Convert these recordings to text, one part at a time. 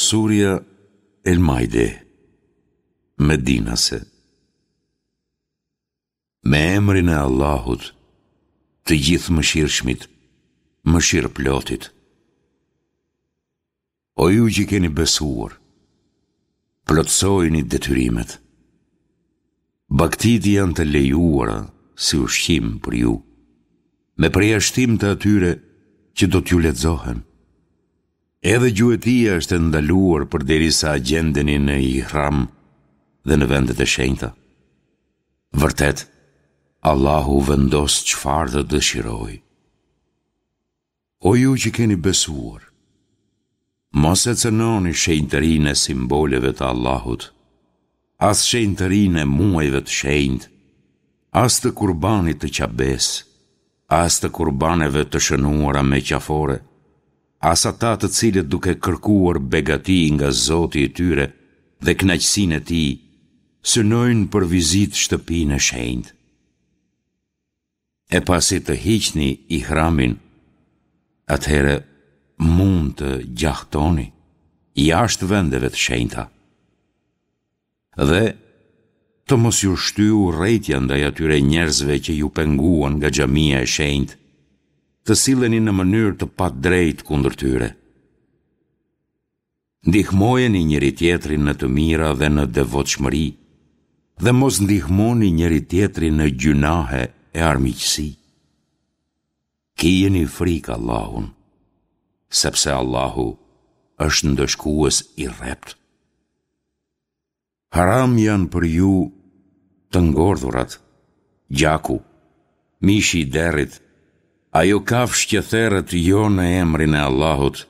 Surja El Maide, Medinase Me emrin e Allahut, të Gjithëmëshirshmit, Mëshirëplotit. O ju që keni besuar, plotësojini detyrimet. Bagëtitë janë të lejuara si ushqim për ju, me përjashtim të atyre që do t'ju lexohen. Edhe gjuetia është e ndaluar përderisa gjendeni në ihram dhe në vendet e shenjta. Vërtet, Allahu vendos çfarë të dëshirojë. O ju që keni besuar, mos e cënoni shenjtërinë e simboleve të Allahut, as shenjtërinë e muajve të shenjtë, as të kurbanit të Qabesë, as të kurbaneve të shënuara me qafore, as ata të cilët duke kërkuar begati nga Zoti i tyre dhe kënaqësinë e Tij, synojnë për vizitë shtëpinë e shenjtë. E pasi të hiqni ihramin, atëherë mund të gjahtoni jashtë vendeve të shenjta. Dhe të mos ju shtyjë urrejtja ndaj atyre njerëzve që ju penguan nga xhamia e shenjtë, të silleni në mënyrë të padrejtë kundër tyre. Ndihmojeni njëri-tjetrin në të mira dhe në devotshmëri, dhe mos ndihmoni njëri-tjetrin në gjynahe e armiqësi. Kijeni frikë Allahun, sepse Allahu është ndëshkues i rreptë. Haram janë për ju të ngordhurat, gjaku, mishi i derrit, ajo kafshë që theret jo në emrin e Allahut,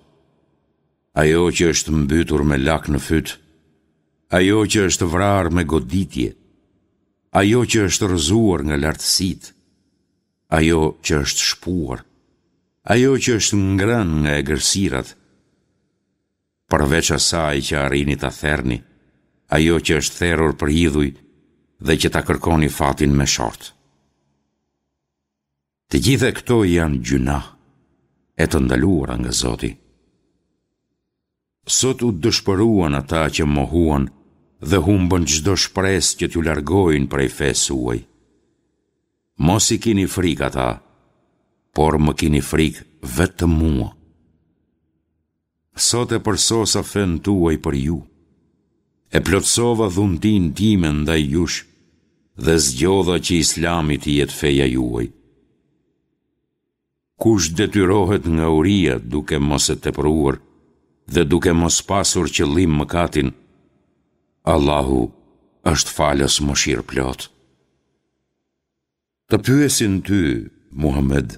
ajo që është mbytur me lak në fyt, ajo që është vrarë me goditje, ajo që është rrëzuar nga lartësitë, ajo që është shpuar, ajo që është ngrënë nga egërsirat, përveç asaj që arrini ta therni, ajo që është therur për idhuj dhe që ta kërkoni fatin me short. Të gjitha këto janë gjynah e të ndaluara nga Zoti. Sot u dëshpëruan ata që mohuan dhe humbën çdo shpresë që t'ju largojnë prej fesë suaj. Mos i kini frikë ata, por më kini frikë vetëm mua. Sot e përsosa fenë tuaj për ju. E plotësova dhuntinë time ndaj jush dhe zgjodha që Islami të jetë feja juaj. Kush detyrohet nga uria duke mos e tepruar dhe duke mos pasur qëllim mëkatin, Allahu është falës mëshirëplotë. Të pyesin ty, Muhamed,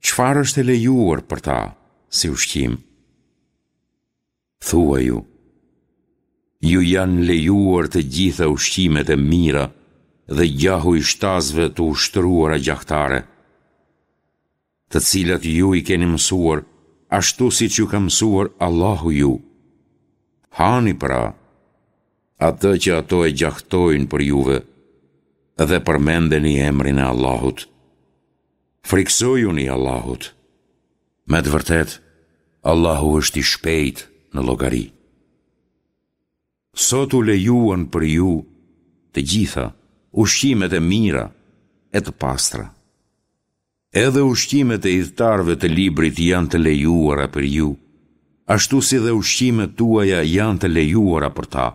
çfarë është e lejuar për ta si ushqim? Thuaju, ju janë lejuar të gjitha ushqimet e mira dhe gjahu i shtazëve të ushtruara gjahtare, të cilat ju i keni mësuar, ashtu siç ju ka mësuar Allahu ju. Hani pra, atë që ato e gjahtojnë për juve, dhe përmendeni emrin e Allahut. Frikësojuni Allahut. Me të vërtetë, Allahu është i shpejtë në llogari. Sot u lejuan për ju të gjitha ushqimet e mira e të pastra. Edhe ushqimet e ithtarëve të librit janë të lejuara për ju, ashtu si dhe ushqimet tuaja janë të lejuara për ta.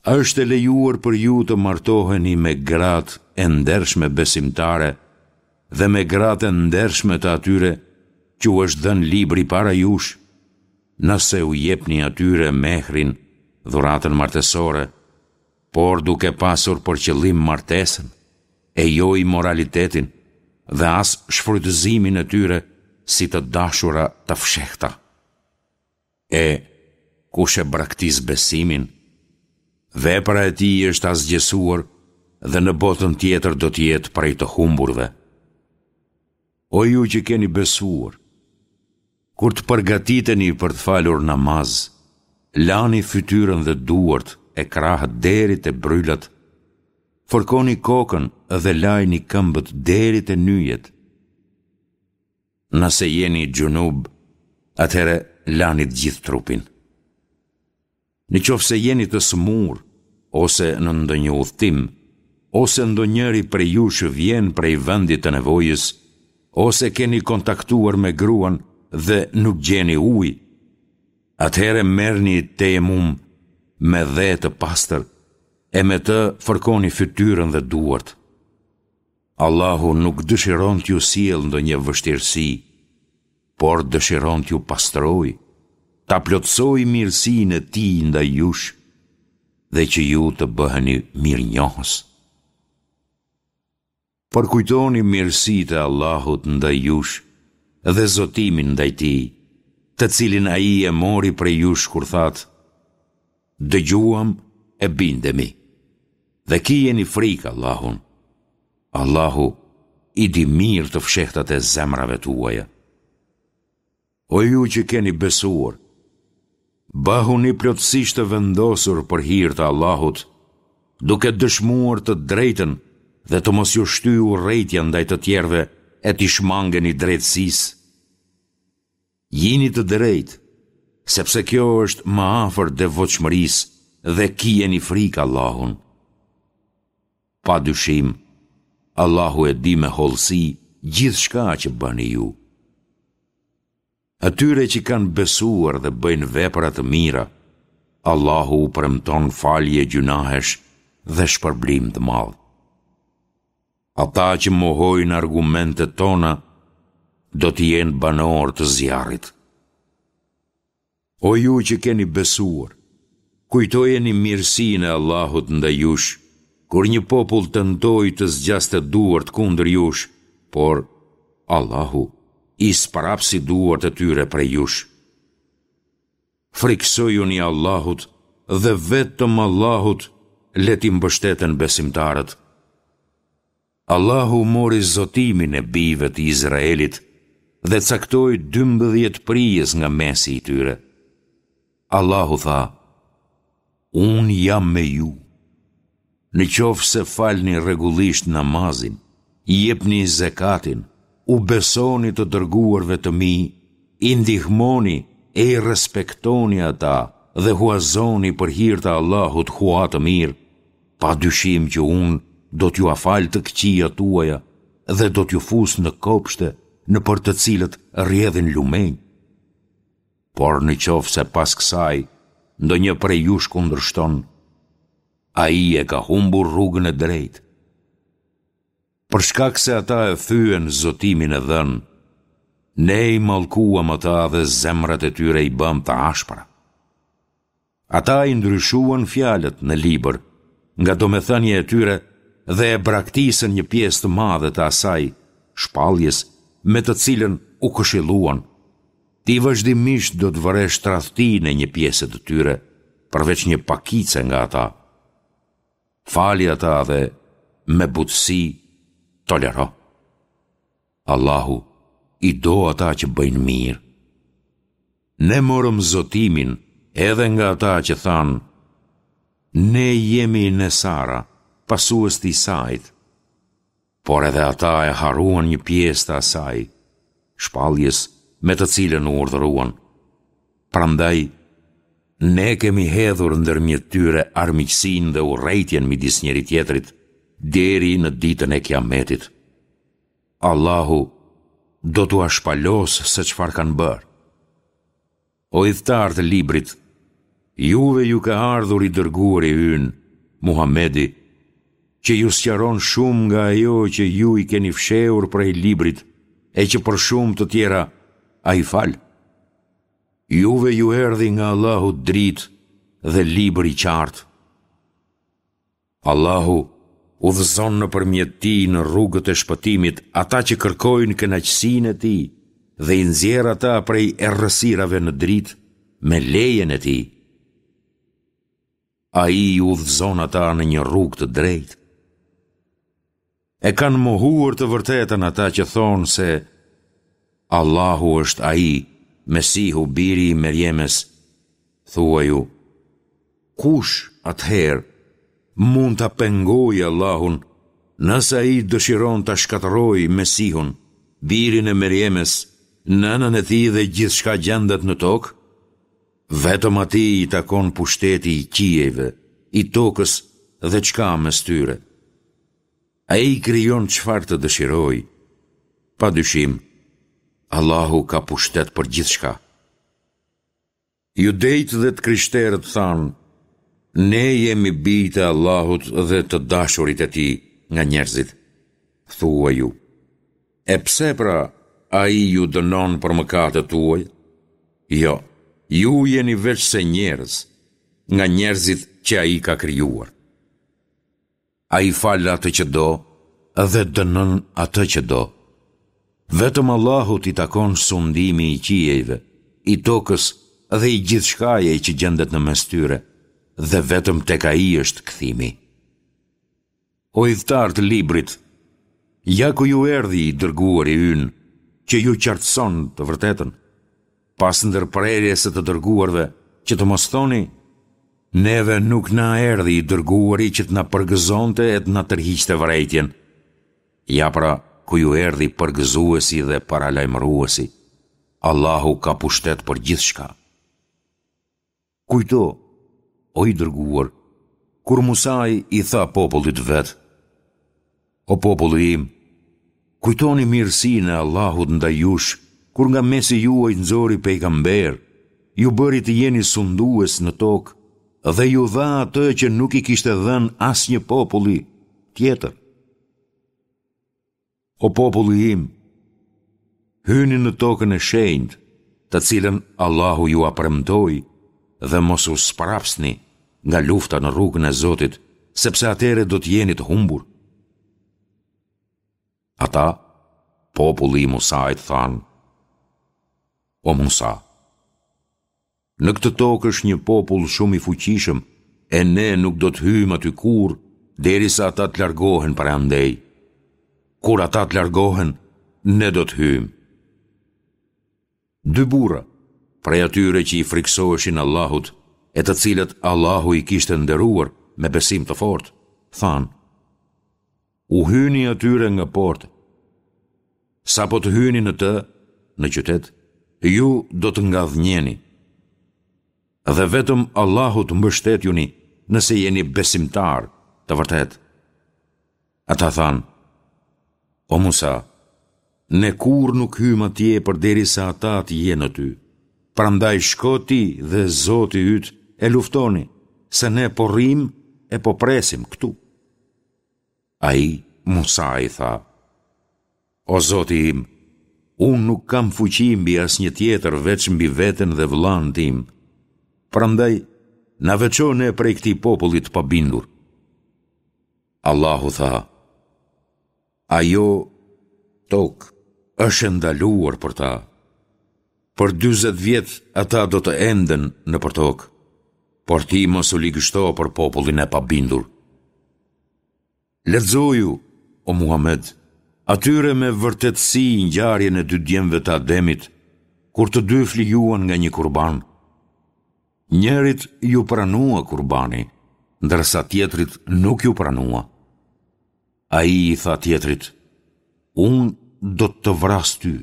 Është e lejuar për ju të martoheni me gratë e ndershme besimtare dhe me gratë e ndershme të atyre që u është dhënë libri para jush, nëse u jepni atyre mehrin, dhuratën martesore, por duke pasur për qëllim martesën, e jo imoralitetin dhe as shfrytëzimin e tyre si të dashura të fshehta. E, kush e braktis besimin, vepra e tij është asgjësuar dhe në botën tjetër do të jetë prej të humburve. O ju që keni besuar, kur të përgatiteni për të falur namaz, lani fytyrën dhe duart e krahët deri te brylat, fërkoni kokën dhe lajini këmbët deri te nyjet. Nëse jeni xhunub, atëherë lani të gjithë trupin. Në qoftë se jeni të sëmurë, ose në ndonjë udhëtim, ose ndonjëri prej jush vjen prej vendit të nevojës, ose keni kontaktuar me gruan dhe nuk gjeni ujë, atëherë merrni tejemum me dhe të pastër e me të fërkoni fytyrën dhe duart. Allahu nuk dëshiron t'ju sjellë ndonjë vështirësi, por dëshiron t'ju pastrojë, ta plotësojë mirësinë e Tij ndaj jush dhe që ju të bëheni mirënjohës. Përkujtoni mirësitë e Allahut ndaj jush dhe zotimin ndaj Tij, të cilin Ai e mori prej jush kur thatë, Dëgjuam e bindemi. Dhe kijeni frikë Allahun. Allahu i di mirë të fshehtat e zemrave tuaja. O ju që keni besuar, bëhuni plotësisht të vendosur për hir të Allahut, duke dëshmuar të drejtën dhe të mos ju shtyjë urrejtja ndaj të tjerëve e t'i shmangeni drejtësisë. Jini të drejtë, sepse kjo është më afër devotshmërisë dhe kijeni frikë Allahun. Pa dyshim, Allahu e di me hollësi gjithçka që bëni ju. Atyre që kanë besuar dhe bëjnë vepra të mira, Allahu u premton falje gjynahesh dhe shpërblim të madh. Ata që mohojnë argumentet tona do të jenë banorë të zjarrit. O ju që keni besuar, kujtojeni mirësinë e Allahut ndaj jush, kur një popull tentoi të zgjaste duart kundër jush, por Allahu i sprapsi duart e tyre prej jush. Frikësojuni Allahut dhe vetëm Allahut le t'i mbështeten besimtarët. Allahu mori zotimin e bijve të Izraelit dhe caktoi 12 prijës nga mesi i tyre. Allahu tha, Unë jam me ju. Në qoftë se falni rregullisht namazin, jepni zekatin, u besoni të dërguarve të mi, i ndihmoni e i respektoni ata dhe huazoni për hir të Allahut hua të mirë, pa dyshim që unë do t'jua fal të këqijat tuaja dhe do t'ju fus në kopshte nëpër të cilët rrjedhin lumenj. Por në qoftë se pas kësaj ndonjë prej jush kundërshton, ai e ka humbur rrugën e drejtë. Për shkak se ata e thyen zotimin e dhënë, ne i mallkuam ata dhe zemrat e tyre i bëmë të ashpra. Ata i ndryshuan fjalët në libër, nga domethënia e tyre dhe e braktisën një pjesë të madhe të asaj, shpalljes, me të cilën u këshilluan. Ti vazhdimisht do të vëresh tradhtinë e një pjese të tyre, përveç një pakice nga ata. Fali ata dhe me butësi tolero. Allahu i do ata që bëjnë mirë. Ne morëm zotimin edhe nga ata që thanë, Ne jemi Nesara, pasues të Isait. Por edhe ata e harruan një pjesë të asaj, shpalljes me të cilën u urdhëruan. Prandaj, ne kemi hedhur ndërmjet tyre armiqësinë dhe urrejtjen midis njëri-tjetrit, deri në ditën e Kiametit. Allahu do t'ua shpalosë se çfarë kanë bërë. O ithtarë të librit, juve ju ka ardhur i dërguari ynë, Muhamedi, që ju sqaron shumë nga ajo që ju i keni fshehur prej librit e që për shumë të tjera ai fal. Juve ju erdhi nga Allahu dritë dhe libër i qartë. Allahu udhëzon nëpërmjet tij në rrugët e shpëtimit ata që kërkojnë kënaqësinë e tij dhe i nxjerr ata prej errësirave në dritë me lejen e tij. Ai i udhëzon ata në një rrugë të drejtë. E kanë mohuar të vërtetën ata që thonë se Allahu është ai, Mesihu, biri i Merjemes. Thuaju, kush atëherë mund ta pengojë Allahun nëse ai dëshiron ta shkatërrojë Mesihun, birin e Merjemes, nënën e tij dhe gjithçka gjendet në tokë? Vetëm atij i takon pushteti i qiejve, i tokës dhe ç'ka mes tyre. Ai krijon çfarë të dëshirojë. Pa dyshim, Allahu ka pushtet për gjithçka. Judejtë dhe të krishterët thanë, Ne jemi bijtë e Allahut dhe të dashurit e Tij nga njerëzit. Thuaju, E pse pra Ai ju dënon për mëkatet tuaja? Jo, ju jeni veçse njerëz, nga njerëzit që Ai ka krijuar. Ai fal atë që do dhe dënon atë që do. Vetëm Allahut i takon sundimi i qiejve, i tokës dhe i gjithçkaje që gjendet në mes tyre, dhe vetëm tek Ai është kthimi. O ithtarë të librit, ja ku ju erdhi i dërguari ynë, që ju qartëson të vërtetën. Pas ndërprerjes së të dërguarve, që të mos thoni, Neve nuk na erdhi i dërguari që të na përgëzonte e të na tërhiqte vërejtjen. Ja pra, ku ju erdhi përgëzuesi dhe paralajmëruesi. Allahu ka pushtet për gjithçka. Kujto, o i dërguar, kur Musai i tha popullit të vet, O populli im, kujtoni mirësinë e Allahut ndaj jush, kur nga mesi juaj nxori pejgamberë, ju bëri të jeni sundues në tokë dhe ju dha atë që nuk i kishte dhënë asnjë populli tjetër. O populli im, hyni në tokën e shenjtë, të cilën Allahu jua premtoi dhe mos u sprapsni nga lufta në rrugën e Zotit, sepse atëherë do të jeni të humbur. Ata, populli i Musait thanë, O Musa, Në këtë tokë është një popull shumë i fuqishëm e ne nuk do të hyjmë aty kurrë derisa ata të largohen prej andej. Kur ata të largohen, ne do të hyjmë. Dy burra, prej atyre që i frikësoheshin Allahut, e të cilët Allahu i kishte nderuar me besim të fortë, thanë, U hyni atyre nga porta. Sapo të hyni në të, në qytet, ju do të ngadhënjeni. Dhe vetëm Allahut mbështetjuni nëse jeni besimtarë të vërtetë. Ata thanë, O Musa, ne kurrë nuk hyjmë atje përderisa ata të jenë aty. Prandaj shko ti dhe Zoti yt e luftoni, se ne po rrimë e po presim këtu. Ai, Musai, tha, O Zoti im, unë nuk kam fuqi mbi asnjë tjetër veç mbi veten dhe vëllanë tim. Prandaj, na veço ne prej këtij populli të pabindur. Allahu tha, Ajo tokë është e ndaluar për ta. Për 40 vjet ata do të enden nëpër tokë, por ti mos u ligështo për popullin e pabindur. Lexoju, o Muhamed, atyre me vërtetësi ngjarjen e dy djemve të Ademit, kur të dy flijuan nga një kurban. Njërit iu pranua kurbani, ndërsa tjetrit nuk iu pranua. Ai i tha tjetrit, unë do të të vras ty.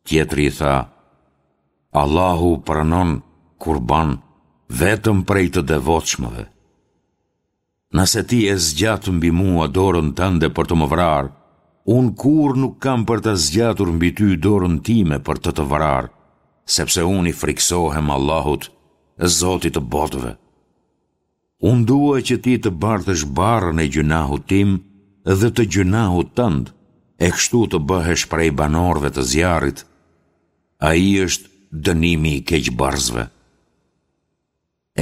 Tjetri i tha, Allahu pranon kurban vetëm prej të devotshmëve. Nëse ti e zgjat mbi mua dorën tënde për të më vrarë, unë kurrë nuk kam për ta zgjatur mbi ty dorën time për të të vrarë, sepse unë i frikësohem Allahut, Zotit të botëve. Unë dua që ti të bartësh barrën e gjynahut tim dhe të gjynahut tënd, e kështu të bëhesh prej banorëve të zjarrit. Ai është dënimi i keqbërësve.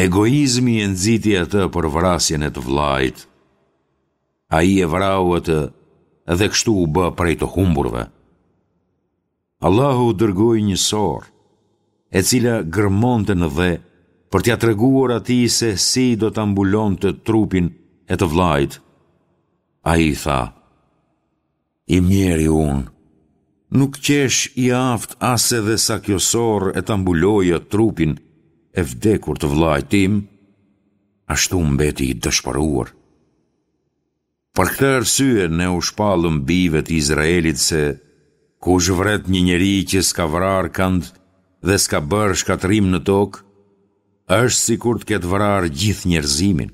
Egoizmi e nxiti atë për vrasjen e të vëllait. Ai e vrau atë dhe kështu u bë prej të humburve. Allahu dërgoi një sorrë, e cila gërmonte në dhe për t'ia treguar atij se si do ta mbulonte trupin e të vëllait. Ai tha: I mjeri unë, nuk qeshë i aftë as edhe sa kjo sorrë e ta mbuloja trupin e vdekur të vëllait tim, ashtu mbeti i dëshpëruar. Për këtë arsye ne u shpallëm bijve të Izraelit se kush vret një njeri që s'ka vrarë kënd dhe s'ka bërë shkatërrim në tokë, është sikur të ketë vrarë gjithë njerëzimin.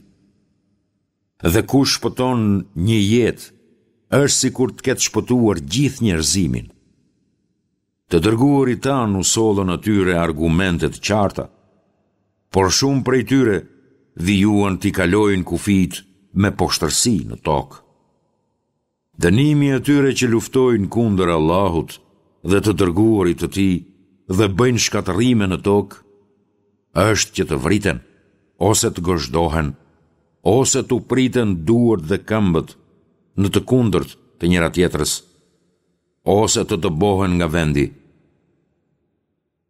Dhe kush shpëton një jetë, është sikur të ketë shpëtuar gjithë njerëzimin. Të dërguarit tanë u sollën atyre argumente të qarta, por shumë prej tyre vijuan t'i kalojnë kufijtë me poshtërsi në tokë. Dënimi i atyre që luftojnë kundër Allahut dhe të dërguarit të Tij dhe bëjnë shkatërrime në tokë, është që të vriten, ose të gozhdohen, ose t'u priten duart dhe këmbët në të kundërt të njëra-tjetrës, ose të dëbohen nga vendi.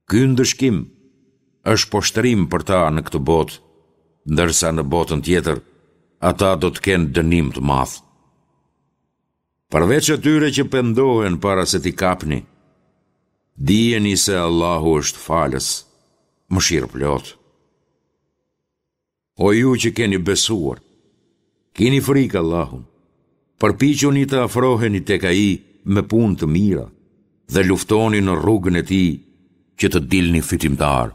Ky ndëshkim është poshtërim për ta në këtë botë, ndërsa në botën tjetër ata do të kenë dënim të madh. Përveç atyre që pendohen para se t'i kapni, dijeni se Allahu është falës, mëshirëplotë. O ju që keni besuar, kini frikë Allahun, përpiquni të afroheni tek Ai me punë të mira dhe luftoni në rrugën e Tij që të dilni fitimtarë.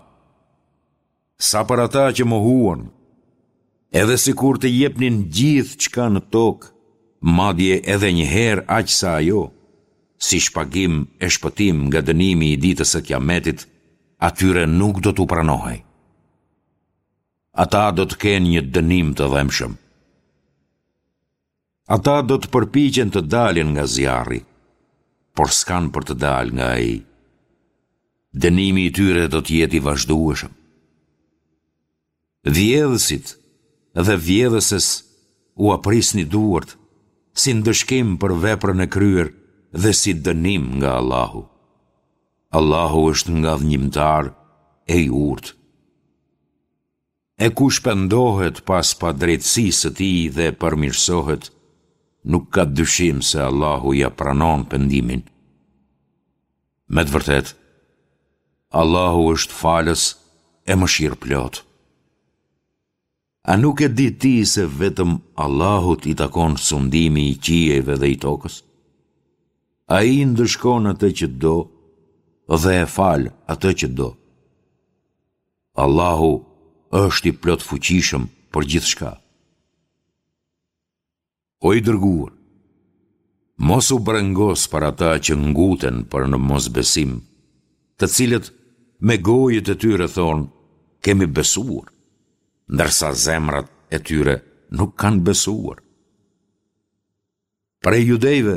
Sa për ata që mohuan, edhe sikur të jepnin gjithçka në tokë, madje edhe një herë aq sa ajo, si shpagim e shpëtim nga dënimi i ditës së Kiametit, atyre nuk do t'u pranohej. Ata do të kenë një dënim të dhembshëm. Ata do të përpiqen të dalin nga zjarri, por s'kanë për të dalë nga ai. Dënimi i tyre do të jetë i vazhdueshëm. Vjedhësit dhe vjedhëses ua prisni duart, si ndëshkim për veprën e kryer dhe si dënim nga Allahu. Allahu është ngadhënjimtar e i urtë. E kush pendohet pas padrejtësisë së tij dhe përmirësohet, nuk ka dyshim se Allahu ia pranon pendimin. Me të vërtetë, Allahu është falës e mëshirëplotë. A nuk e di ti se vetëm Allahut i takon sundimi i qiejve dhe i tokës? Ai ndëshkon atë që do dhe e fal atë që do. Allahu është i plotfuqishëm për gjithçka. O i dërguar, mos u brengos për ata që nguten për në mosbesim, të cilët me gojët e tyre thonë, kemi besuar, ndërsa zemrat e tyre nuk kanë besuar. Prej judejve,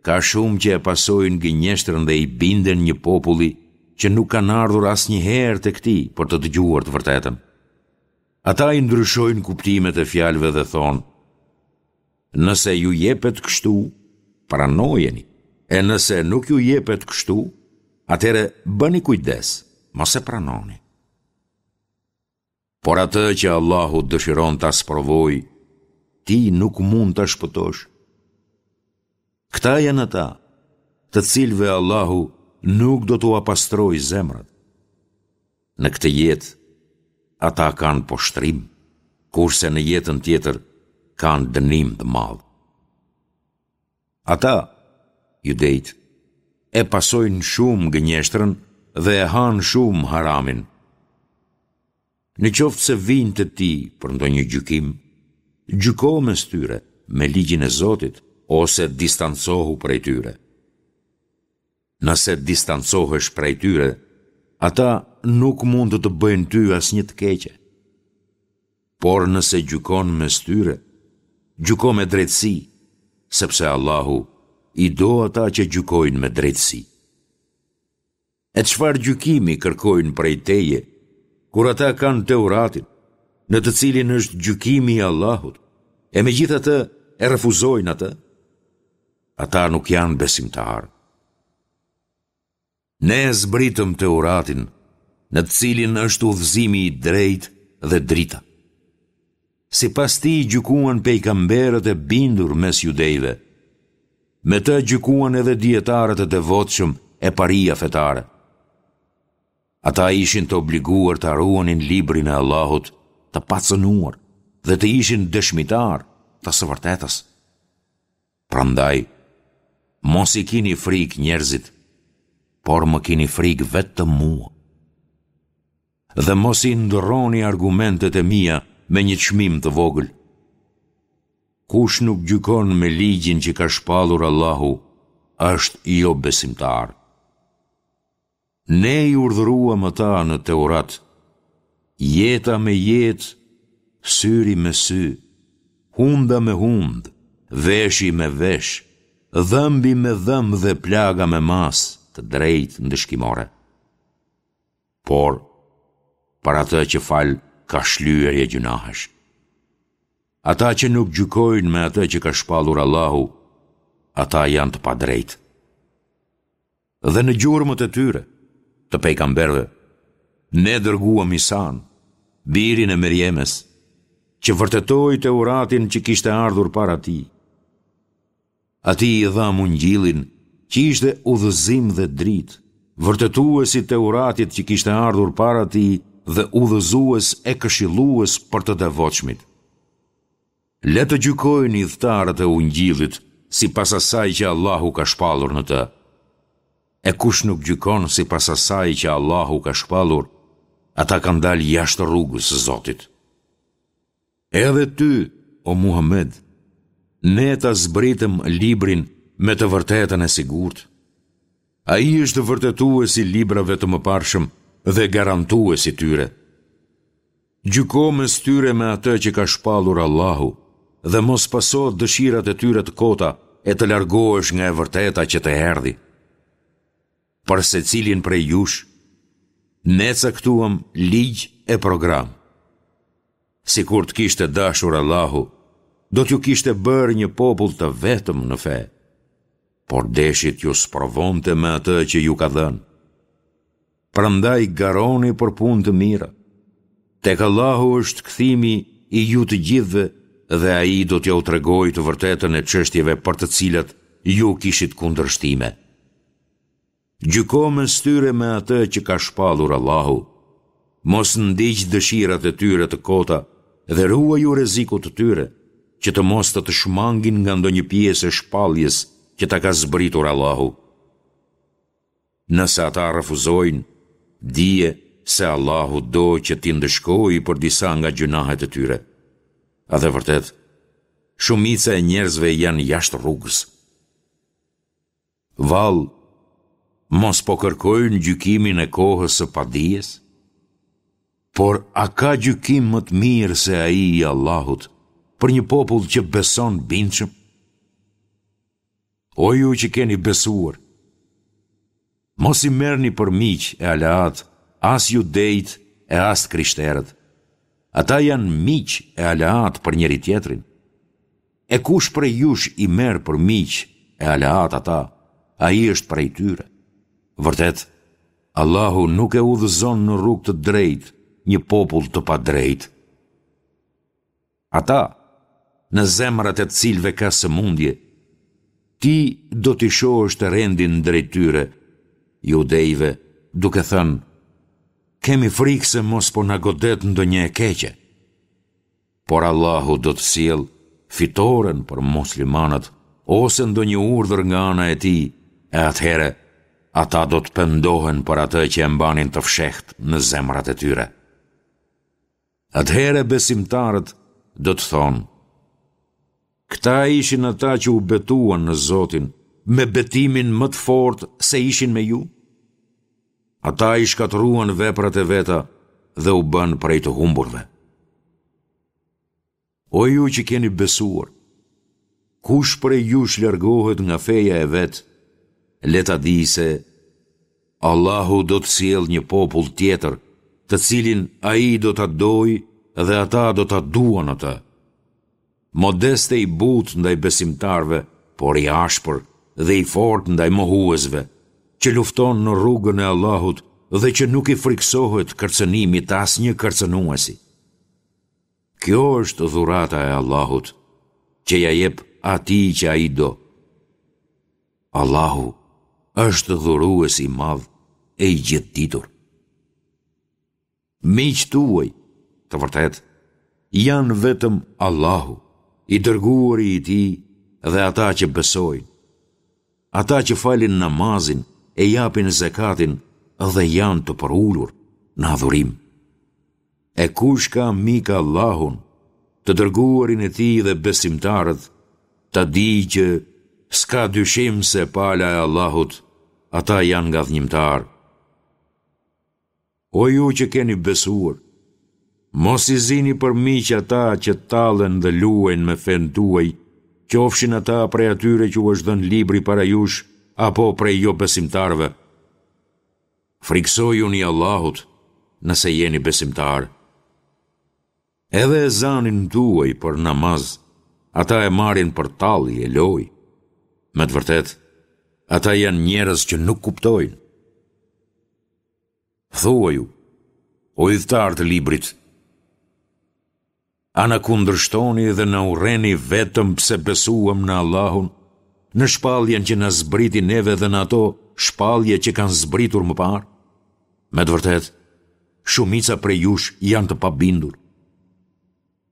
ka shumë që e pasojnë gënjeshtrën dhe i binden një populli që nuk kanë ardhur asnjëherë tek ti për të dëgjuar të vërtetën. Ata i ndryshojnë kuptimet e fjalëve dhe thonë, Nëse ju jepet kështu, pranojeni, e nëse nuk ju jepet kështu, atëherë bëni kujdes, mos e pranoni. Por atë që Allahu dëshiron ta sprovojë, ti nuk mund ta shpëtosh. Këta janë ata, të cilëve Allahu nuk do t'ua pastrojë zemrat. Në këtë jetë, ata kanë poshtërim, kurse në jetën tjetër kanë dënim të madh. Ata, judejtë, e pasojnë shumë gënjeshtrën dhe e hanë shumë haramin. Në qoftë se vijnë te ti për ndonjë gjykim, gjyko mes tyre me ligjin e Zotit ose distancohu prej tyre. Nëse distancohesh prej tyre, ata nuk mund të të bëjnë ty asnjë të keqe. Por nëse gjykon mes tyre, gjyko me drejtësi, sepse Allahu i do ata që gjykojnë me drejtësi. E çfarë gjykimi kërkojnë prej teje, kur ata kanë Teuratin, në të cilin është gjykimi i Allahut, e megjithatë e refuzojnë atë? Ata nuk janë besimtarë. Ne e zbritëm Teuratin, në të cilin është udhëzimi i drejtë dhe drita. Sipas tij gjykuan pejgamberët e bindur mes judejve. Me të gjykuan edhe dijetarët e devotshëm e paria fetare. Ata ishin të obliguar ta ruanin librin e Allahut të pacënuar dhe të ishin dëshmitarë të së vërtetës. Prandaj, mos i kini frikë njerëzit, por më kini frikë vetëm mua. Dhe mos i ndërroni argumentet e mia me një çmim të vogël. Kush nuk gjykon me ligjin që ka shpallur Allahu, është jobesimtar. Ne i urdhëruam ata në Teurat, jeta me jetë, syri me sy, hunda me hundë, veshi me vesh, dhëmbi me dhëmb dhe plaga me masë të drejtë ndëshkimore. Por, për atë që fal ka shlyerje gjynahesh. Ata që nuk gjykojnë me atë që ka shpallur Allahu, ata janë të padrejtë. Dhe në gjurmët e tyre, të pejgamberëve, ne dërguam Isanë, birin e Merjemes, që vërtetoi Teuratin që kishte ardhur para tij. Atij i dhamë Ungjillin, që ishte udhëzim dhe dritë, vërtetues i Teuratit që kishte ardhur para tij dhe udhëzues e këshillues për të devotshmit. Le të gjykojnë ithtarët e Ungjillit sipas asaj që Allahu ka shpallur në të. E kush nuk gjykon sipas asaj që Allahu ka shpallur, ata kanë dalë jashtë rrugës së Zotit. Edhe ty, o Muhamed, ne ta zbritëm librin me të vërtetën e sigurt. Ai është vërtetues i librave të mëparshëm dhe garantues i tyre. Gjyko mes tyre me atë që ka shpallur Allahu dhe mos paso dëshirat e tyre të kota e të largohesh nga e vërteta që të erdhi. Për secilin prej jush, ne caktuam ligj e program. Sikur të kishte dashur Allahu, do t'ju kishte bërë një popull të vetëm në fe, por deshi t'ju sprovonte me atë që ju ka dhënë. Prandaj garoni për punë të mira. Tek Allahu është kthimi i ju të gjithëve dhe Ai do t'jua tregojë të vërtetën e çështjeve për të cilat ju kishit kundërshtime. Gjyko mes tyre me atë që ka shpallur Allahu. Mos ndiq dëshirat e tyre të kota dhe ruaju rrezikut të tyre, që të mos të të shmangin nga ndonjë pjesë e shpalljes që ta ka zbritur Allahu. Nëse ata refuzojnë, dije se Allahu do që t'i ndëshkojë për disa nga gjynahet e tyre. Dhe vërtet, shumica e njerëzve janë jashtë rrugës. Vallë, mos po kërkojnë gjykimin e kohës së padijes? Por a ka gjykim më të mirë se ai i Allahut për një popull që beson bindshëm? O ju që keni besuar, mos i merrni për miq e aleatë as judejtë e as të krishterët. Ata janë miq e aleatë për njëri-tjetrin. E kush prej jush i merr për miq e aleatë ata, ai është prej tyre. Vërtet, Allahu nuk e udhëzon në rrugë të drejtë një popull të padrejtë. Ata, në zemrat e të cilëve ka sëmundje, ti do t'i shohësh të rendin drejt tyre, judejve, duke thënë, kemi frikë se mos po na godet ndonjë e keqe. Por Allahu do të sjellë fitoren për muslimanët ose ndonjë urdhër nga ana e Tij e atëherë ata do të pendohen për atë që e mbanin të fshehtë në zemrat e tyre. Atëherë besimtarët do të thonë, Këta ishin ata që u betuan në Zotin me betimin më të fortë se ishin me ju? Ata i shkatërruan veprat e veta dhe u bënë prej të humburve. O ju që keni besuar, kush prej jush largohet nga feja e vet, le ta dijë se Allahu do të sjellë një popull tjetër, të cilin ai do ta dojë dhe ata do ta duan atë. Modest e i butë ndaj besimtarëve, por i ashpër dhe i fortë ndaj mohuesve, që lufton në rrugën e Allahut dhe që nuk i frikësohet kërcënimit të asnjë kërcënuesi. Kjo është dhurata e Allahut, që ia jep atij që ai do. Allahu është dhurues i madh e i gjithëditur. Miqtë tuaj, të vërtetë, janë vetëm Allahu, i dërguari i tij dhe ata që besojnë. Ata që falin namazin e japin zekatin dhe janë të përulur në adhurim. E kush ka mik Allahun, të dërguarin e tij dhe besimtarët, ta dijë që s'ka dyshim se pala e Allahut, ata janë ngadhënjimtarë. O ju që keni besuar, mos i zini për miq ata që tallen dhe luajnë me fenë tuaj, qofshin ata prej atyre që u është dhënë libri para jush apo prej jobesimtarëve. Frikësojuni Allahut, nëse jeni besimtarë. Edhe ezanin tuaj për namaz, ata e marrin për tallje e lojë. Me të vërtetë, ata janë njerëz që nuk kuptojnë. Thuaju, o ithtarë të librit, A na kundërshtoni dhe na urreni vetëm pse besuam në Allahun, në shpalljen që na zbriti neve dhe në ato shpallje që kanë zbritur më parë? Me të vërtetë, shumica prej jush janë të pabindur.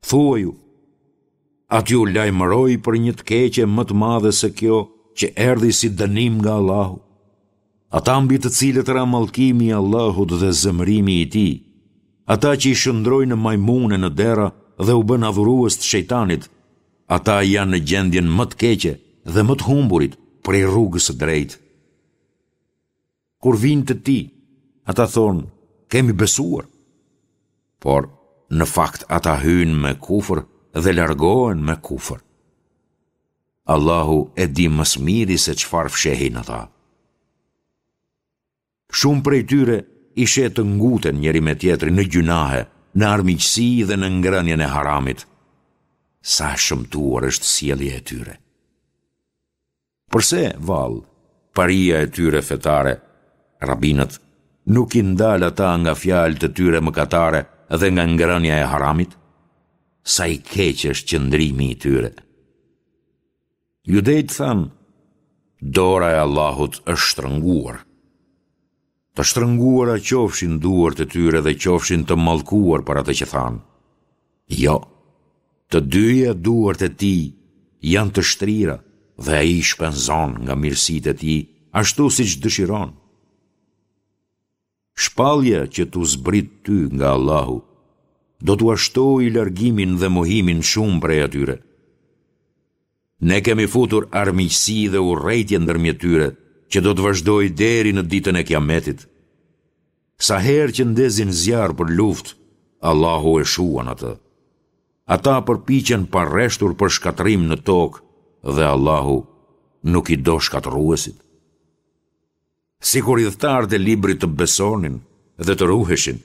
Thuaju, a t'ju lajmëroj për një të keqe më të madhe se kjo që erdhi si dënim nga Allahu? Ata mbi të cilët ra mallkimi i Allahut dhe zemërimi i Tij, ata që i shndërroi në majmunë e në derra dhe u bënë adhurues të shejtanit, ata janë në gjendjen më të keqe dhe më të humburit prej rrugës së drejtë. Kur vijnë te ti, ata thonë, kemi besuar. Por, në fakt ata hyjnë me kufër dhe largohen me kufër. Allahu e di më së miri se çfarë fshehin ata. Shumë prej tyre i sheh të nguten njëri me tjetrin në gjynahe, në armiqësi dhe në ngrënien e haramit. Sa e shëmtuar është sjellja e tyre. Përse, vallë, paria e tyre fetare, rabinët, nuk i ndal ata nga fjalët e tyre mëkatare dhe nga ngrënia e haramit? Sa i keq është qëndrimi i tyre! Judejtë thanë, Dora e Allahut është shtrënguar. Të shtrënguara qofshin duart e tyre dhe qofshin të mallkuar për atë që thanë. Jo, të dyja duart e tij janë të shtrira dhe ai shpenzon nga mirësitë e tij ashtu siç dëshiron. Shpallja që t'u zbrit ty nga Allahu, do t'ua shtojë largimin dhe mohimin shumë prej atyre. Ne kemi futur armiqësi dhe urrejtje ndërmjet tyre, që do të vazhdojë deri në ditën e Kiametit. Sa herë që ndezin zjarr për luftë, Allahu e shuan atë. Ata përpiqen pareshtur për shkatërrim në tokë dhe Allahu nuk i do shkatërruesit. Sikur ithtarët e librit të besonin dhe të ruheshin,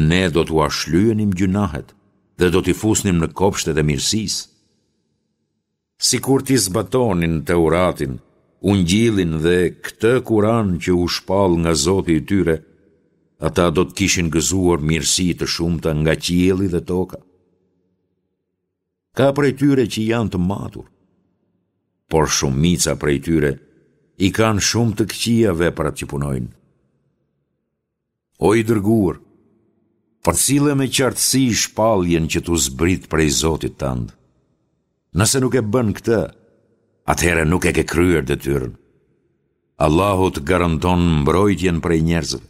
ne do t'ua shlyenim gjynahet dhe do t'i fusnim në kopshtet e mirësisë. Sikur t'i zbatonin Teuratin, Ungjillin dhe këtë Kuran që u shpall nga Zoti i tyre, ata do të kishin gëzuar mirësi të shumta nga qielli dhe toka. Ka prej tyre që janë të matur, por shumica prej tyre i kanë shumë të këqija veprat që punojnë. O i dërguar, përcille me qartësi shpalljen që t'u zbrit prej Zotit tënd. Nëse nuk e bën këtë, atëherë nuk e ke kryer detyrën. Allahu të garanton mbrojtjen prej njerëzve.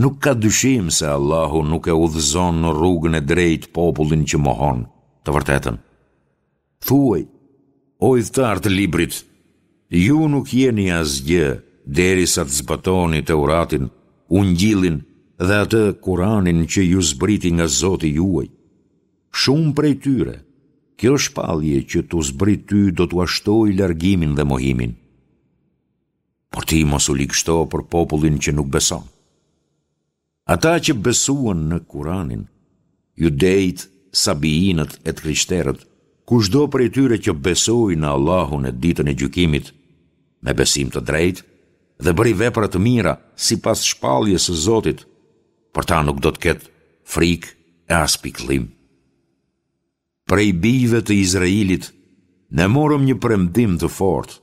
Nuk ka dyshim se Allahu nuk e udhëzon në rrugën e drejtë popullin që mohon të vërtetën. Thuaj, o ithtarë të librit, ju nuk jeni asgjë derisa të zbatoni Teuratin, Ungjillin dhe atë Kuranin që ju zbriti nga Zoti juaj. Shumë prej tyre, kjo shpallje që t'u zbrit ty do t'ua shtojë largimin dhe mohimin. Por ti mos u ligështo për popullin që nuk beson. Ata që besuan në Kuranin, judejtë, sabiinët e të krishterët, kushdo prej tyre që besoi në Allahun e ditën e gjykimit, me besim të drejtë dhe bëri vepra të mira sipas shpalljes së Zotit, për ta nuk do të ketë frikë e as pikëllim. Prej bijve të Izraelit ne morëm një premtim të fortë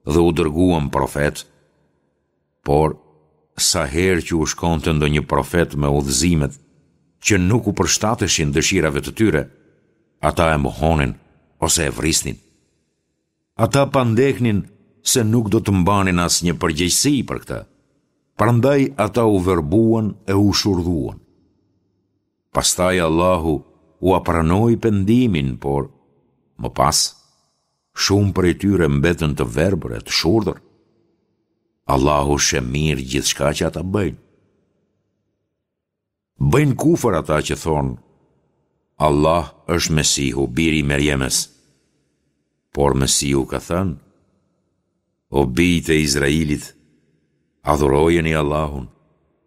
dhe u dërguam profetë. Por, sa herë që u shkonte ndonjë profet me udhëzimet që nuk u përshtateshin dëshirave të tyre, ata e mohonin ose e vrisnin. Ata pandehnin se nuk do të mbanin asnjë përgjegjësi për këtë. Prandaj ata u verbuan e u shurdhuan. Pastaj Allahu ua pranoi pendimin, por, më pas, shumë prej tyre mbetën të verbër e të shurdhër. Allahu sheh mirë gjithçka që ata bëjnë. Bëjnë kufër ata që thonë, Allah është Mesihu, biri i Merjemes. Por Mesihu ka thënë, O bijtë e Izrailit, adhurojeni Allahun,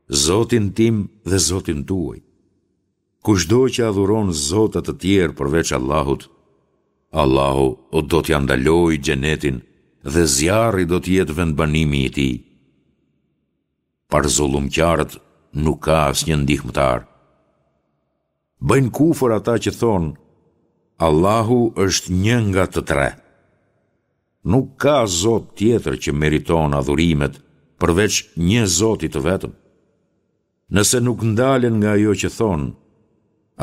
Zotin tim dhe Zotin tuaj. Kushdo që adhuron zota të tjerë përveç Allahut, Allahu do t'ia ndalojë xhenetin dhe zjarri do të jetë vendbanimi i tij. Për zullumqarët nuk ka asnjë ndihmëtar. Bëjnë kufër ata që thonë, Allahu është një nga të tre. Nuk ka zot tjetër që meriton adhurimet përveç një zoti të vetëm. Nëse nuk ndalen nga ajo që thonë,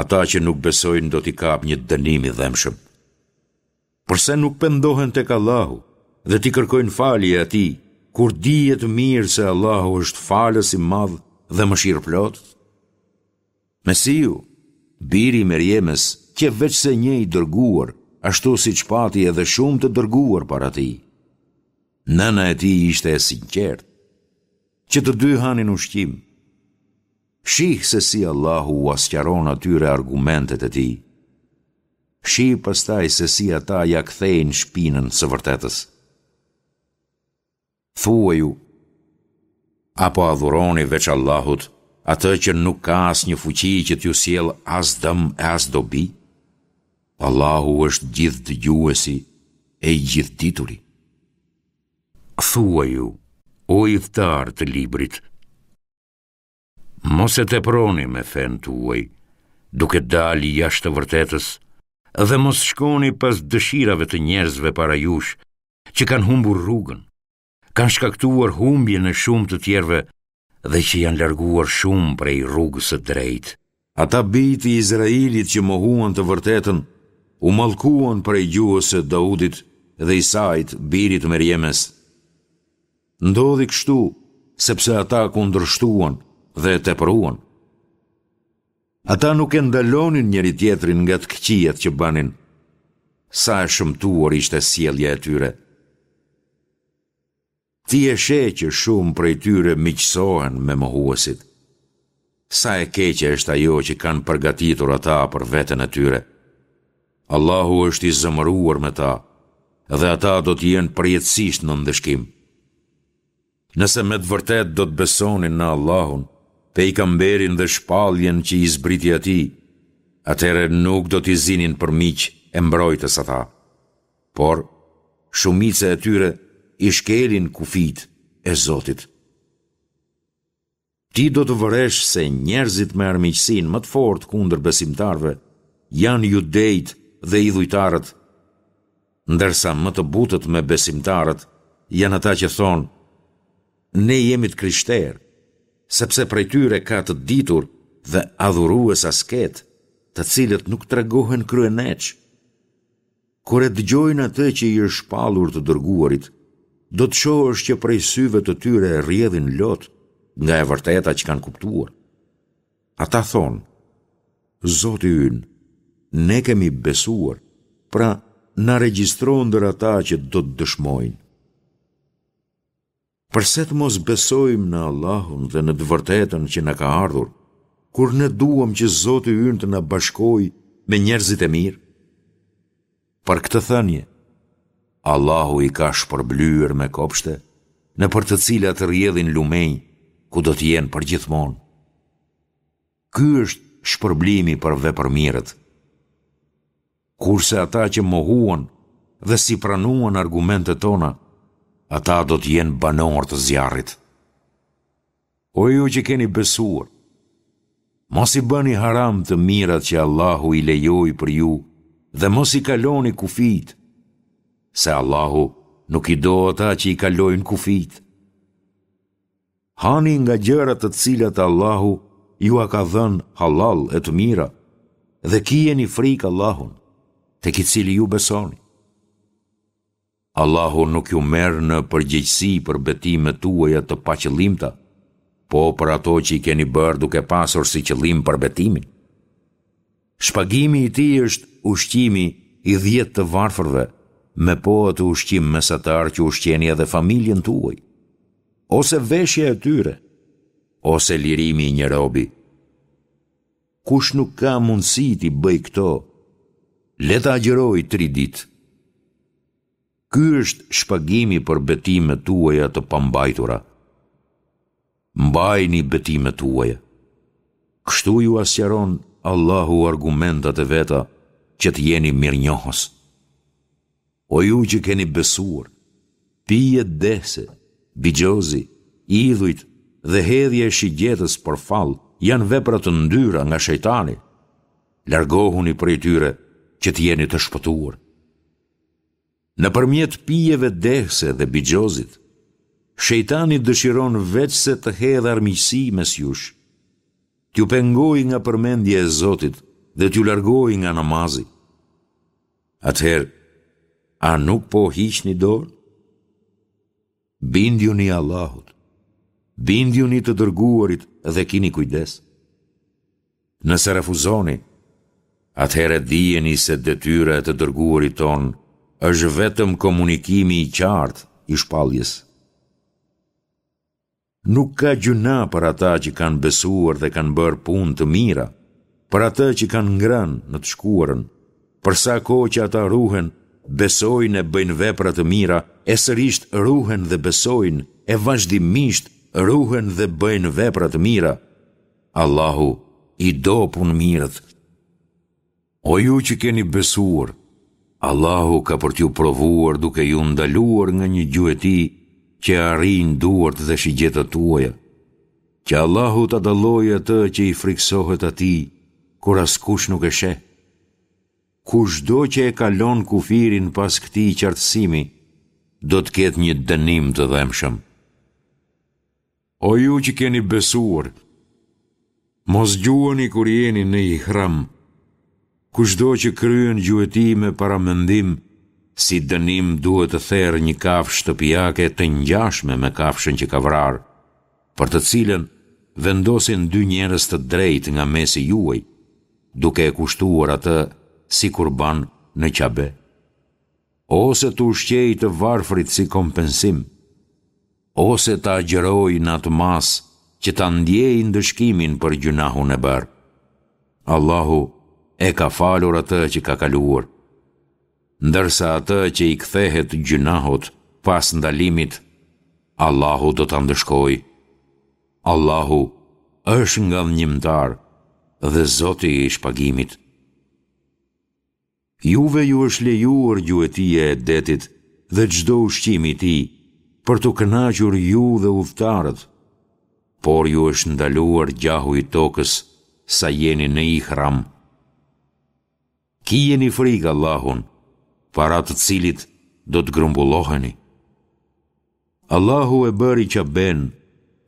ata që nuk besojnë do t'i kapë një dënim i dhembshëm. Përse nuk pendohen tek Allahu dhe t'i kërkojnë falje Atij, kur dihet mirë se Allahu është Falës i madh dhe Mëshirëplotë? Mesihu, biri i Merjemes, qe veçse një i dërguar, ashtu siç pati edhe shumë të dërguar para tij. Nëna e tij ishte e sinqertë. Që të dy hanin ushqim. Shih se si Allahu ua sqaron atyre argumentet e Tij. Shih pastaj se si ata ia kthejnë shpinën së vërtetës. Thuaju, A po adhuroni veç Allahut atë që nuk ka asnjë fuqi që t'ju sjellë as dëm e as dobi? Allahu është Gjithëdëgjuesi e i Gjithëdituri. Thuaju, o ithtarë të Librit, Mos e teproni me fenë tuaj, duke dalë jashtë të vërtetës, dhe mos shkoni pas dëshirave të njerëzve para jush, që kanë humbur rrugën, kanë shkaktuar humbjen e shumë të tjerëve dhe që janë larguar shumë prej rrugës së drejtë. Ata bij të Izrailit që mohuan të vërtetën, u mallkuan prej gjuhës së Daudit dhe Isait, birit të Merjemes. Ndodhi kështu, sepse ata kundërshtuan dhe e tepruan. Ata nuk e ndalonin njëri-tjetrin nga të këqijat që bënin. Sa e shëmtuar ishte sjellja e tyre. Ti e sheh që shumë prej tyre miqësohen me mohuesit. Sa e keqe është ajo që kanë përgatitur ata për veten e tyre. Allahu është i zemëruar me ta dhe ata do të jenë përjetësisht në ndëshkim. Nëse me të vërtetë do të besonin në Allahun, pejgamberin dhe shpalljen që i zbriti atij, atëherë nuk do t'i zinin për miq e mbrojtës ata. Por, shumica e tyre i shkelin kufijtë e Zotit. Ti do të vëresh se njerëzit me armiqësinë më të fortë kundër besimtarëve janë judejtë dhe idhujtarët, ndërsa më të butët me besimtarët janë ata që thonë, Ne jemi të krishterë, sepse prej tyre ka të ditur dhe adhurues asketë, të cilët nuk tregohen kryeneçë. Kur e dëgjojnë atë që i është shpallur të dërguarit, do të shohësh që prej syve të tyre rrjedhin lot nga e vërteta që kanë kuptuar. Ata thonë, Zoti ynë, ne kemi besuar, pra na regjistro ndër ata që do të dëshmojnë. Përse të mos besojmë në Allahun dhe në të vërtetën që na ka ardhur, kur ne duam që Zoti ynë të na bashkojë me njerëzit e mirë? Për këtë thënie, Allahu i ka shpërblyer me kopshte, nëpër të cilat rrjedhin lumenj, ku do të jenë përgjithmonë. Ky është shpërblimi për vepërmirët. Kurse ata që mohuan dhe s'i pranuan argumentet tona, ata do të jenë banorë të zjarrit. O ju që keni besuar, mos i bëni haram të mirat që Allahu i lejoi për ju dhe mos i kaloni kufijtë, se Allahu nuk i do ata që i kalojnë kufijtë. Hani nga gjërat të cilat Allahu jua ka dhënë hallall e të mira dhe kijeni frikë Allahun, tek i cili ju besoni. Allahu nuk ju merr në përgjegjësi për betimet tuaja të paqëllimta, po për ato që i keni bërë duke pasur si qëllim përbetimin. Shpagimi i tij është ushqimi i dhjetë të varfërve, me po atë ushqim mesatar që ushqeni edhe familjen tuaj, ose veshja e tyre, ose lirimi i një robi. Kush nuk ka mundësi t'i bëjë këto, le të agjërojë tri ditë. Ky është shpagimi për betimet tuaja të pambajtura. Mbajini betimet tuaja. Kështu jua sqaron Allahu argumentat e veta që të jeni mirënjohës. O ju që keni besuar, pijet dehëse, bixhozi, idhujt dhe hedhja e shigjetës për fall janë vepra të ndyra nga shejtani. Largohuni prej tyre që të jeni të shpëtuar. Nëpërmjet pijeve dehëse dhe bixhozit, shejtani dëshiron veçse të hedhë armiqësi mes jush, t'ju pengojë nga përmendja e Zotit dhe t'ju largojë nga namazi. Atëherë, a nuk po hiqni dorë? Bindjuni Allahut, bindjuni të dërguarit dhe kini kujdes. Nëse refuzoni, atëherë dijeni se detyra e të dërguarit tonë është vetëm komunikimi i qartë i shpalljes. Nuk ka gjynah për ata që kanë besuar dhe kanë bërë punë të mira, për atë që kanë ngrënë në të shkuarën, për sa kohë që ata ruhen, besojnë e bëjnë vepra të mira, e sërisht ruhen dhe besojnë, e vazhdimisht ruhen dhe bëjnë vepra të mira, Allahu i do punëmirët. O ju që keni besuar, Allahu ka për t'ju provuar duke ju ndaluar nga një gjueti që e arrijnë duart dhe shigjetat tuaja, që Allahu ta dallojë atë që i frikësohet atij, kur askush nuk e sheh. Kushdo që e kalon kufirin pas këtij qartësimi, do të ketë një dënim të dhembshëm. O ju që keni besuar, mos gjuani kur jeni në ihram. Kushdo që kryen gjueti me paramendim, si dënim duhet të therë një kafshë shtëpiake të ngjashme me kafshën që ka vrarë, për të cilën vendosin dy njerëz të drejtë nga mesi juaj, duke e kushtuar atë si kurban në Qabe. Ose të ushqejë të varfrit si kompensim, ose të agjërojë në atë masë që ta ndjejë ndëshkimin për gjynahun e bërë. Allahu e ka falur atë që ka kaluar. Ndërsa atë që i kthehet gjynahut pas ndalimit, Allahu do ta ndëshkojë. Allahu është ngadhënjimtar dhe Zoti i shpagimit. Juve ju është lejuar gjuetia e detit dhe çdo ushqim i tij, për t'u kënaqur ju dhe udhëtarët, por ju është ndaluar gjahu i tokës sa jeni në ihram. Kijeni frikë Allahun, para të cilit do të grumbulloheni. Allahu e bëri Qaben,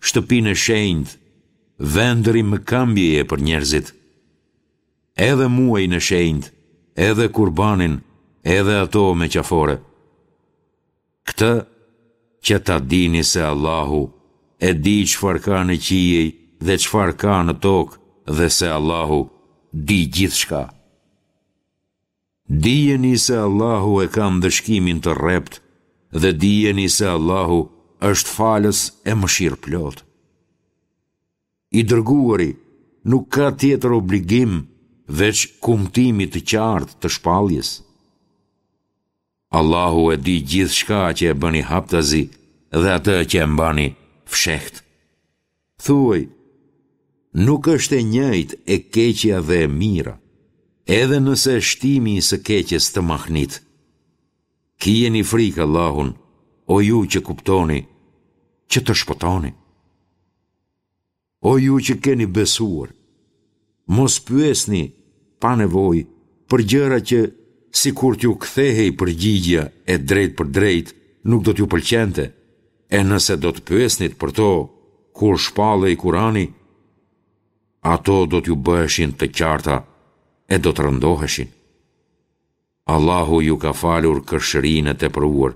shtëpinë e shenjtë, vend rimëkëmbjeje për njerëzit. Edhe muajin e shenjtë, edhe kurbanin, edhe ato me qafore. Këtë që ta dini se Allahu e di çfarë ka në qiej dhe çfarë ka në tokë dhe se Allahu di gjithçka. Dijeni se Allahu e ka ndëshkimin të rreptë dhe dijeni se Allahu është falës e mëshirëplotë. I dërguari nuk ka tjetër obligim veç kumtimit të qartë të shpalljes. Allahu e di gjithçka që e bëni haptazi dhe atë që e mbani fshehtë. Thuaj, nuk është e njëjtë e keqja dhe e mira, edhe nëse shtimi i së keqes të mahnit. Kijeni frikë Allahun, o ju që kuptoni, që të shpëtoni. O ju që keni besuar, mos pyesni pa nevojë për gjëra që sikur t'ju kthehej përgjigja e drejtpërdrejtë nuk do t'ju pëlqente, e nëse do të pyesnit për to kur shpallej Kurani, ato do t'ju bëheshin të qarta e do të rëndoheshin. Allahu ju ka falur kërshërinë e tepruar.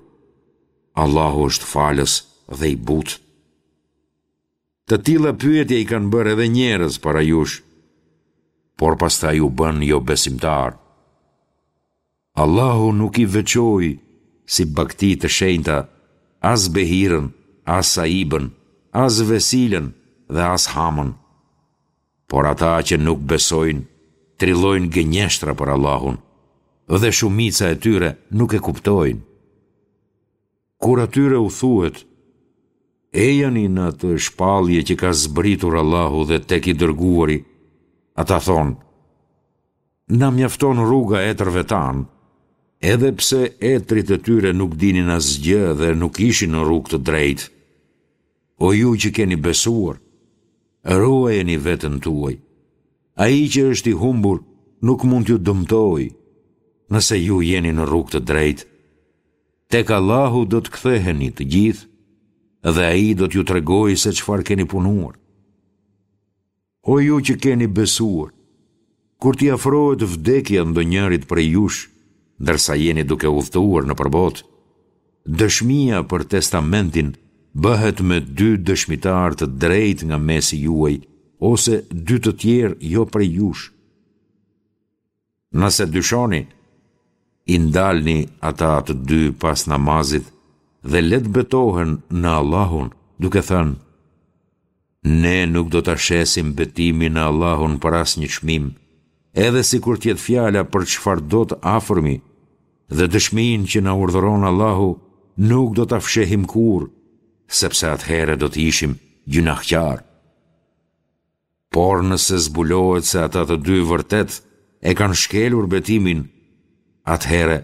Allahu është falës dhe i butë. Të tilla pyetje i kanë bërë edhe njerëz para jush. por pastaj u bënë jobesimtarë. Allahu nuk i veçoi si bagëti të shenjta as Behirën, as Saibën, as Vesilën dhe as Hamën. Por ata që nuk besojnë, trillojnë gënjeshtra për Allahun, dhe shumica e tyre nuk e kuptojnë. Kur atyre u thuhet, Ejani në atë shpallje që ka zbritur Allahu dhe tek i dërguari, ata thonë, Na mjafton rruga e etërve tanë, edhe pse etërit e tyre nuk dinin asgjë dhe nuk ishin në rrugë të drejtë. O ju që keni besuar, ruajeni veten tuaj. Ai që është i humbur nuk mund t'ju dëmtojë, nëse ju jeni në rrugë të drejtë. Tek Allahu do të ktheheni të gjithë dhe Ai do t'ju tregojë se çfarë keni punuar. O ju që keni besuar, kur t'i afrohet vdekja ndonjërit prej jush, ndërsa jeni duke udhëtuar nëpër botë, dëshmia për testamentin bëhet me dy dëshmitarë të drejtë nga mesi juaj ose dy të tjerë jo prej jush. Nëse dyshoni, i ndalni ata të dy pas namazit dhe le të betohen në Allahun, duke thënë, Ne nuk do ta shesim betimin në Allahun për asnjë çmim, edhe sikur të jetë fjala për çfarëdo të afërmi, dhe dëshminë që na urdhëron Allahu nuk do ta fshehim kurrë, sepse atëherë do të ishim gjynahqarë. Por nëse zbulohet se ata të dy vërtet e kanë shkelur betimin, atëherë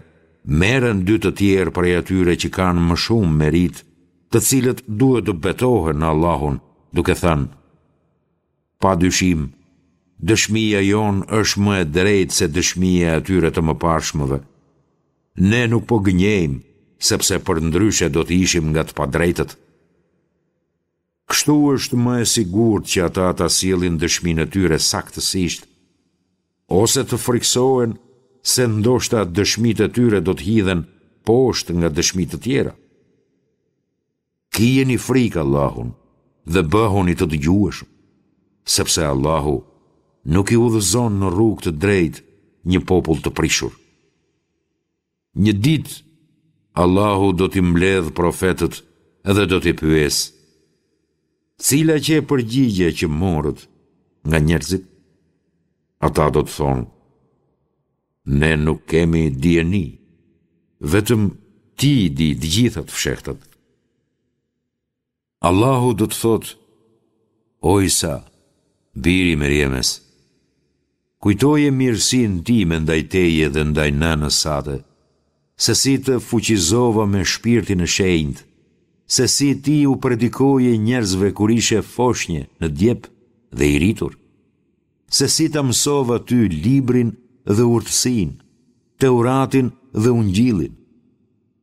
merren dy të tjerë prej atyre që kanë më shumë meritë, të cilët duhet të betohen në Allahun, duke thënë, Pa dyshim, dëshmia jonë është më e drejtë se dëshmia e atyre të mëparshmëve. Ne nuk po gënjejmë, sepse përndryshe do të ishim nga të padrejtët. Kështu është më e sigurt që ata ta sjellin dëshminë e tyre saktësisht, ose të frikësohen se ndoshta dëshmitë e tyre do të hidhen poshtë nga dëshmi të tjera. Kijeni frikë Allahun dhe bëhuni të dëgjueshëm, sepse Allahu nuk i udhëzon në rrugë të drejtë një popull të prishur. Një ditë, Allahu do t'i mbledhë profetët dhe do t'i pyesë, Cila qe përgjigja që morët nga njerëzit? Ata do të thonë, Ne nuk kemi dijeni, vetëm ti i di të gjitha të fshehtat. Allahu do të thotë, O Isa, biri i Merjemes, kujtoje mirësinë time ndaj teje dhe ndaj nënës sate, se si të fuqizova me shpirtin e shenjtë, se si ti u predikoje njerëzve kur ishe foshnje në djep dhe i rritur, se si ta mësova ty librin dhe urtësinë, Teuratin dhe Ungjillin,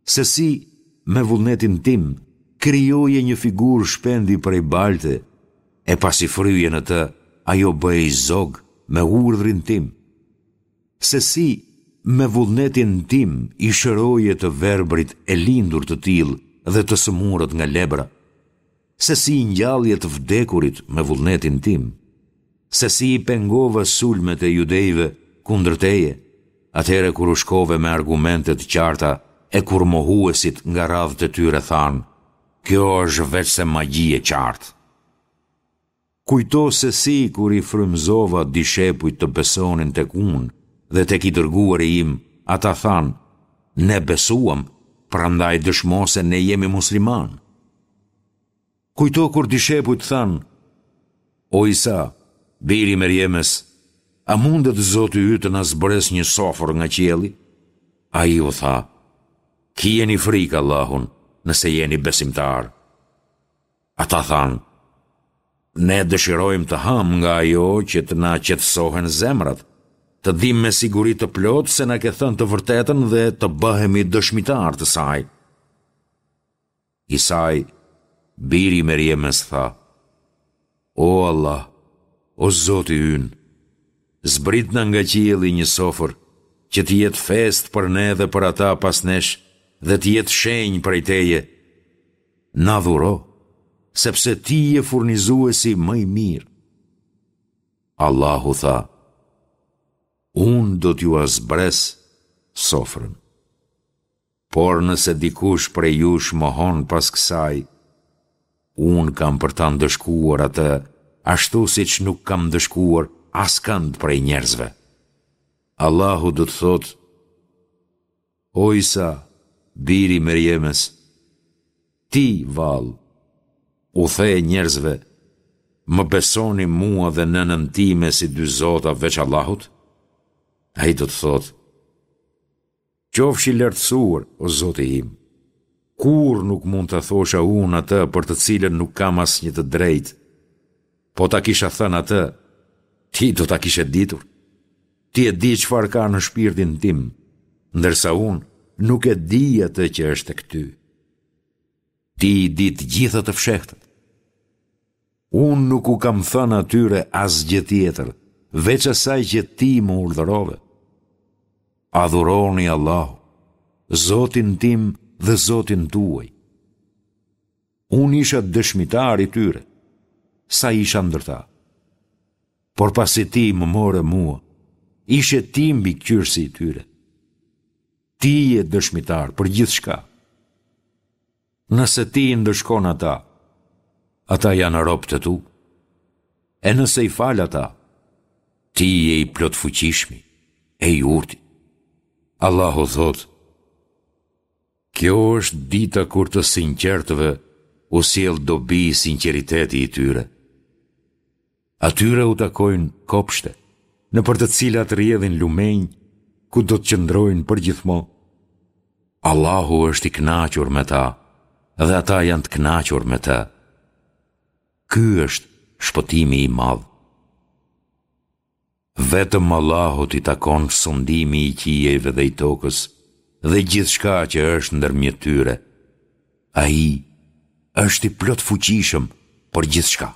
se si, me vullnetin tim, krijoje një figurë shpendi prej balte, e pasi fryje në të, ajo bëhej zog me urdhrin tim. Se si, me vullnetin tim, i shëroje të verbrit e lindur të tillë dhe të sëmurët nga lebra. Se si i ngjallje të vdekurit me vullnetin tim, se si i pengova sulmet e judejve kundër teje, atëherë kur u shkove me argumente të qarta e kur mohuesit nga radhët e tyre thanë, Kjo është veçse magji e qartë. Kujto se si kur i frymëzova dishepujt të besonin tek unë dhe tek i dërguari im, ata thanë, Ne besuam, prandaj dëshmo se ne jemi muslimanë. Kujto kur dishepujt thanë, O Isa, biri i Merjemes, a mundet Zoti yt të na zbresë një sofër nga qielli? Ai u tha, Kijeni frikë Allahun, nëse jeni besimtarë. Ata thanë, Ne dëshirojmë të hamë nga ajo që të na qetësohen zemrat, të dimë me siguri të plotë se na ke thënë të vërtetën dhe të bëhemi dëshmitarë të saj. Isai, biri i Merjemes tha, O Allah, o Zoti ynë, zbritna nga qielli një sofër, që të jetë festë për ne dhe për ata pas nesh dhe të jetë shenjë prej teje, Na dhuro, sepse ti je furnizuesi më i mirë. Allahu tha, Unë do t'jua zbres sofrën. Por nëse dikush prej jush mohon pas kësaj, unë kam për ta ndëshkuar atë ashtu siç nuk kam ndëshkuar askënd prej njerëzve. Allahu do të thotë, O Isa, biri i Merjemes, ti, vallë, u the njerëzve, më besoni mua dhe nënën time si dy zota veç Allahut? Ai do të thotë, Qofsh i lartësuar, o Zoti im! Kurrë nuk mund ta thosha unë atë për të cilën nuk kam asnjë të drejtë. Po ta kisha thënë atë, ti do ta kishe ditur. Ti e di çfarë ka në shpirtin tim, ndërsa unë nuk e di atë që është tek ty. Ti i di të gjitha të fshehtat. Unë nuk u kam thënë atyre asgjë tjetër, veç asaj që ti më urdhërove. Adhuroni Allahun, Zotin tim dhe Zotin tuaj. Unë isha dëshmitar i tyre, sa isha ndër ta. Por pasi ti më more mua, ishe ti mbikëqyrësi i tyre. Ti je dëshmitar për gjithçka. Nëse ti i ndëshkon ata, ata janë robët e tu. E nëse i fal ata, ti je i plotfuqishmi, e i urti. Allahu thotë, Kjo është dita kur të sinqertëve u sjell dobi sinqeriteti i tyre. Atyre u takojnë kopshte, nëpër të cilat rrjedhin lumenj, ku do të qëndrojnë përgjithmonë. Allahu është i kënaqur me ta dhe ata janë të kënaqur me të. Ky është shpëtimi i madh. Vetëm Allahut i takon sundimi i qiejve dhe i tokës dhe gjithçka që është ndërmjet tyre. Ai është i plotfuqishëm për gjithçka.